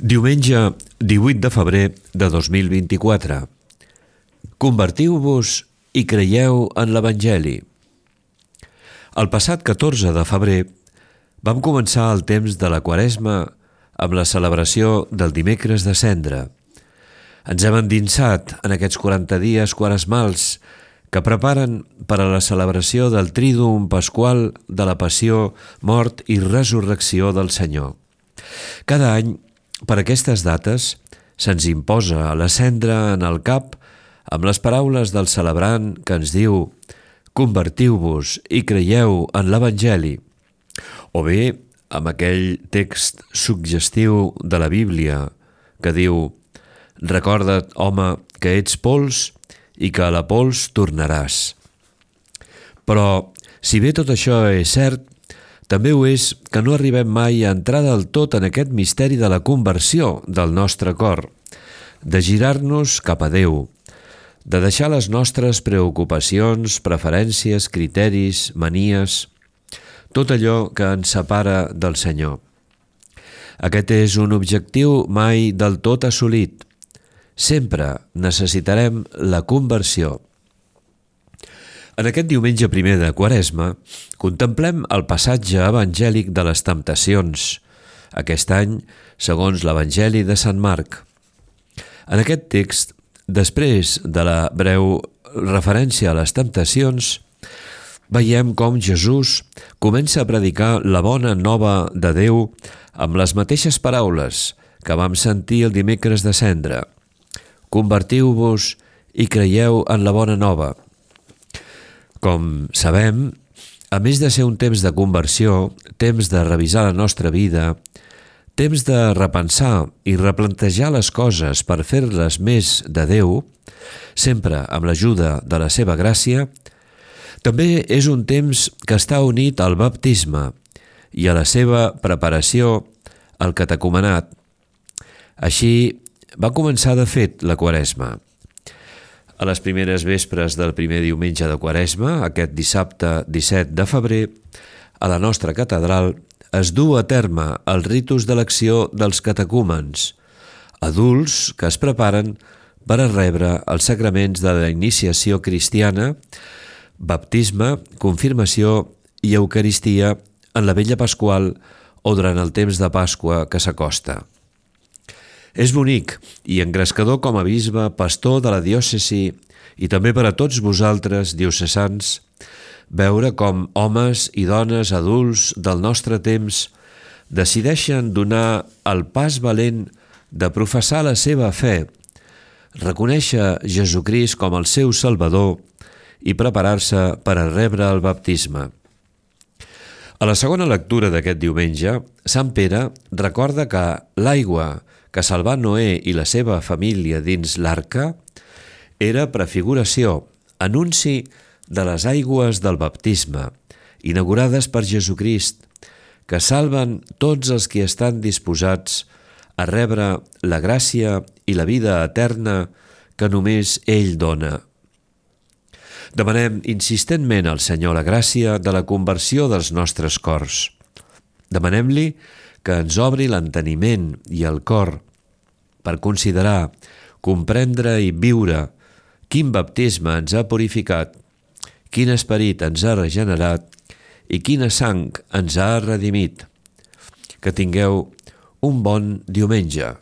Diumenge 18 de febrer de 2024. Convertiu-vos i creieu en l'Evangeli. El passat 14 de febrer vam començar el temps de la Quaresma amb la celebració del dimecres de Cendra. Ens hem endinsat en aquests 40 dies quaresmals que preparen per a la celebració del Tríduum Pasqual de la Passió, Mort i Resurrecció del Senyor. Cada any, per aquestes dates, se'ns imposa la cendra en el cap amb les paraules del celebrant que ens diu «Convertiu-vos i creieu en l'Evangeli», o bé amb aquell text suggestiu de la Bíblia que diu «Recorda't, home, que ets pols i que a la pols tornaràs». Però, si bé tot això és cert, també ho és que no arribem mai a entrar del tot en aquest misteri de la conversió del nostre cor, de girar-nos cap a Déu, de deixar les nostres preocupacions, preferències, criteris, manies, tot allò que ens separa del Senyor. Aquest és un objectiu mai del tot assolit. Sempre necessitarem la conversió. En aquest diumenge primer de Quaresma, contemplem el passatge evangèlic de les temptacions, aquest any segons l'Evangeli de Sant Marc. En aquest text, després de la breu referència a les temptacions, veiem com Jesús comença a predicar la bona nova de Déu amb les mateixes paraules que vam sentir el dimecres de Cendra. Convertiu-vos i creieu en la bona nova. Com sabem, a més de ser un temps de conversió, temps de revisar la nostra vida, temps de repensar i replantejar les coses per fer-les més de Déu, sempre amb l'ajuda de la seva gràcia, també és un temps que està unit al baptisme i a la seva preparació al catecumenat. Així va començar de fet la Quaresma. A les primeres vespres del primer diumenge de Quaresma, aquest dissabte 17 de febrer, a la nostra catedral es du a terme el ritus d'elecció dels catecúmens, adults que es preparen per a rebre els sacraments de la iniciació cristiana, baptisme, confirmació i eucaristia en la Vetlla Pasqual o durant el temps de Pasqua que s'acosta. És bonic i engrescador com a bisbe, pastor de la diòcesi i també per a tots vosaltres, diocesans, veure com homes i dones adults del nostre temps decideixen donar el pas valent de professar la seva fe, reconèixer Jesucrist com el seu Salvador i preparar-se per a rebre el baptisme. A la segona lectura d'aquest diumenge, Sant Pere recorda que l'aigua que salvà Noé i la seva família dins l'arca era prefiguració, anunci de les aigües del baptisme, inaugurades per Jesucrist, que salven tots els que estan disposats a rebre la gràcia i la vida eterna que només ell dona. Demanem insistentment al Senyor la gràcia de la conversió dels nostres cors. Demanem-li que ens obri l'enteniment i el cor per considerar, comprendre i viure quin baptisme ens ha purificat, quin esperit ens ha regenerat i quina sang ens ha redimit. Que tingueu un bon diumenge.